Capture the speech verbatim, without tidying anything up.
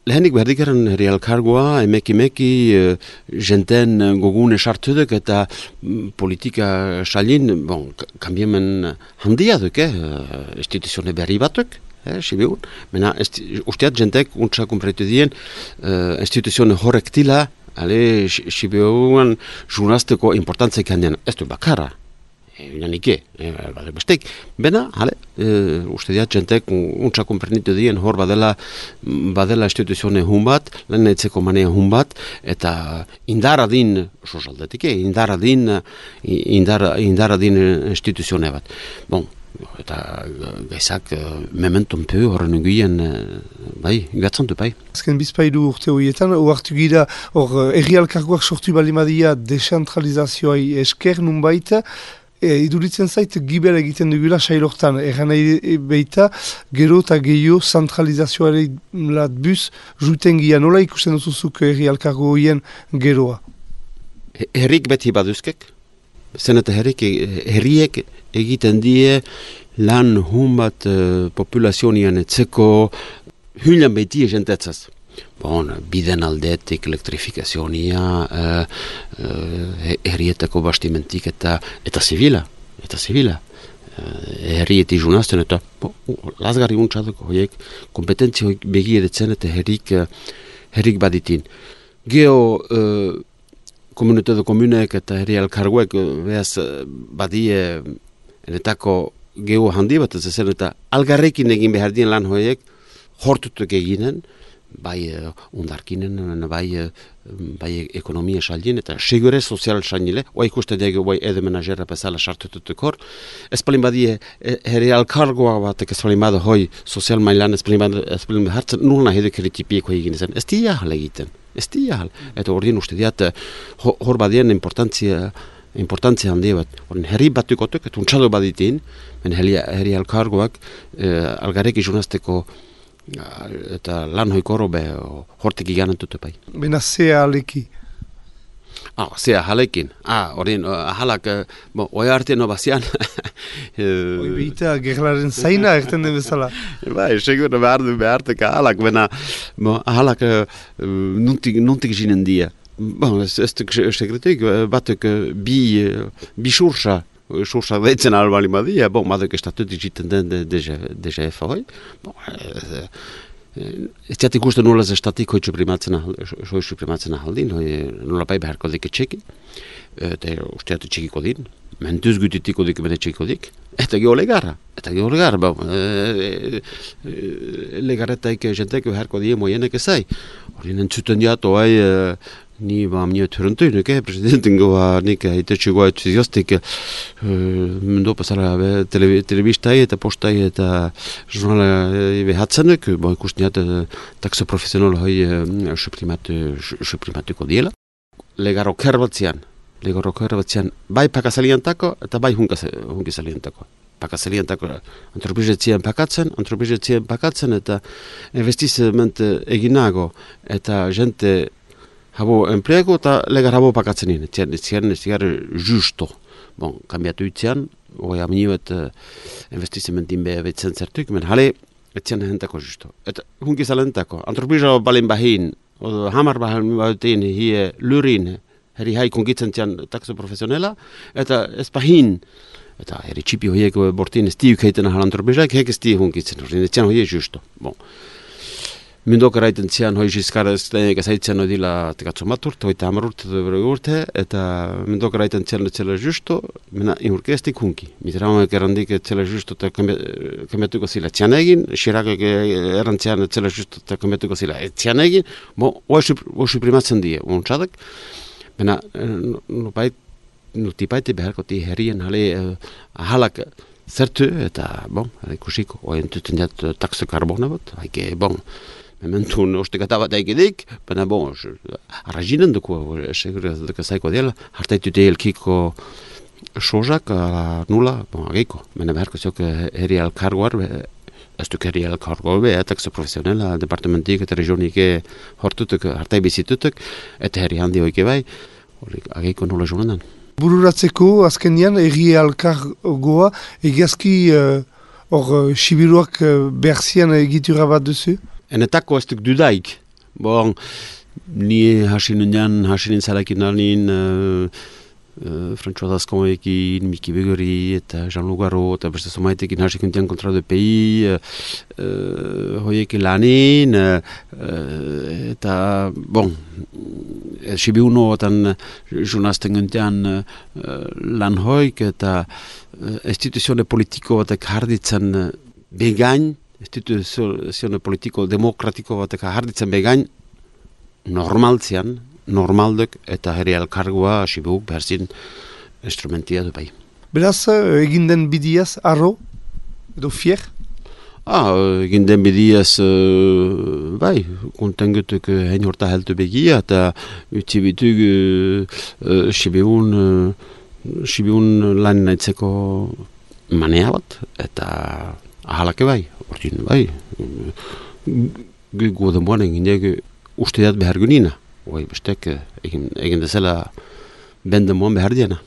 lehenik berdikaren herri elkargoa, emeki emeki, jenten gogune sartudek eta mm, politika salin, bon, kambiemen handia duk, eh? Instituzione berri batuk, eh, sibiun. Mena, usteat jentek untsa kumpretu dien, uh, instituzione horrek tila, ale, sibiuan jurnazteko importantzeik handian, ez du bakarra. Inanike, e, bade bestek. Bena, hale, e, uste diat, jentek untsa komprenitu dien hor badela, badela instituzione hun bat, lehen etzeko manea hun bat, eta indara din, sosaldetik, indara din, indara, indara din instituzione bat. Bon, eta gaizak mementon peu horren eguen, bai, gatzan du bai. Azken bizpailu urte horietan, oartu gira, hor, erri alkargoak sortu balimadia desentralizazioai esker nun baita, E, iduritzen zait, giber egiten dugula sailortan. Egan nahi beita, gero eta gehiago zentralizazioare lat buz, juten gia. Nola ikusten duzuzuk herri alkargo horien geroa? Herrik beti baduzkek. Zen eta herrik, herriek egiten die lan hun bat uh, populazionian etzeko hülan beti egentetzaz. Bon, biden aldetik, elektrifikazionia, uh, uh, herrietako bastimentik eta eta zibila, eta zibila. Uh, herrieti junazten eta bo, lazgarri untxadoko horiek kompetentzia begieretzen eta herrik, uh, herrik baditin. Geo uh, komunitate komunek eta herri alkarguek uh, behaz uh, badie enetako geo handi bat ez zen eta algarrekin egin behar dien lan horiek hortutuk eginen, bai uh, undarkinen, bai, uh, bai ekonomia saldien, eta segure sozial saldile, oa ikusten dugu bai edo menagera bezala sartututuk hor. Ez palin badie, herri alkargoa batek ez palin bada hoi sozial mailan, ez palin bada, ez palin bada hartzen, nurna heduk eritipieko egin zen. Ez di jahal egiten, ez di jahal. Eta hor dien uste diat, hor badien importantzia, importantzia handi bat. Horren herri batukotuk, eta untxado baditin, herri, herri alkargoak, eh, algarek izunazteko eta lan hoikoro be hortik iganen dute bai. Bena zea aleki? Ah, zea halekin. Ah, horien, ahalak, bo, oi arte no bazian. Oi behita, gerlaren zaina erten den bezala. Bai, segur behar du behartek ahalak, bena, bo, ahalak nuntik, nuntik jinen dia. Bon, ez, ez duk sekretuik, batuk bi, bi sursa, sursa deitzen albali badia, bon, maduk estatut egiten den D G F hoi. Bon, ez diat ikusten nola ez estatik hoi suprimatzen ahaldin, hoi nola bai beharko dik etxekin, eta usteat txekiko din, mentuz gutitiko dik bene txekiko dik, eta geho legarra, eta geho legarra, bon, legarretaik jentek beharko die moienek ezai, hori nentzuten diat, oai, ni ba mnio turuntu nuke presidenten goa nik aitetxe goa entuziastik mendo pasara telebistai eta postai eta jurnala behatzenek, bo ikusten jat takso profesional hoi suprimatuko diela. Legaro kerbatzean, legaro kerbatzean bai pakazaliantako eta bai hunkizaliantako. Pakazaliantako antropizetzien pakatzen, antropizetzien pakatzen eta investizement eginago eta jente habo enplego eta legar habo pakatzen nien. Etzian, etzian, etzian, justo. Bon, kambiatu itzian, oi amniuet uh, investizimentin beha betzen zertuk, men hale, etzian hentako justo. Eta hunki zalentako, antropiza balin bahin, o hamar bahin bahin hie lurin, heri hai kongitzen zian takso profesionela, eta ez bahin, eta heri txipi hoiek bortin ez tiuk heiten ahal antropizaik, hek ez tiuk hunkitzen, etzian hoie justo. Bon. Mindok eraiten zian hoi jiskara ez zaitzen odila tekatzo maturt, hoi tamar urte dure urte, eta mindok eraiten zian etzela justo, mena inurke ez dik hunki. Mitramak erandik etzela justo eta kambiatuko zila txian egin, Xirakak erantzian etzela justo eta kambiatuko zila txian egin, bo, hoi suprimatzen die, untxadak, mena nupait, nutipaite beharko ti herrien hale ahalak zertu, eta, bon, ikusiko, hoi entuten jat takso karbona bat, haike, bon, mementun ostekata bat egidik, baina bon, arrazinen duko, segur duko zaiko dela, hartaitute elkiko sozak, nula, bon, ageiko, baina beharko ziok herri alkargoar, ez duk herri alkargoar be, takso profesionela, departamentik eta regionik hortutuk, hartai bizitutuk, eta herri handi hoike bai, ageiko nula joanan. Bururatzeko, azkenian, herri alkargoa, egiazki hor uh, sibiruak uh, berzian egitura bat duzu? Enetako ez duk dudaik, Bon, ni hasi nundean, hasi nintzalakin alin, uh, uh, Frantxoa Dazkoekin, Miki Begori eta Jean Lugaro, eta beste zomaitekin hasi kuntean kontra de pei, uh, uh, hoiek lanin, uh, uh, eta, bon, sibi uno otan journalisten guntean uh, lan hoik, eta uh, instituzione politiko batek harditzen uh, begain, instituzione politiko demokratiko batek harditzen begain, normaltzean, normaldek eta herri elkargoa asibuk behar zin instrumentia du bai. Beraz, egin den bidiaz, arro, edo fier? Ah, egin den bidiaz, uh, bai, kontengutuk uh, hein horta heltu begia, eta utzibituk uh, uh, sibiun, uh, sibiun lan naitzeko manea bat, eta ahalake bai, ordin bai, gu goden boan egin dugu usteat behar gunina. Oi, bestek egin, egin dezela benden moan behar diena.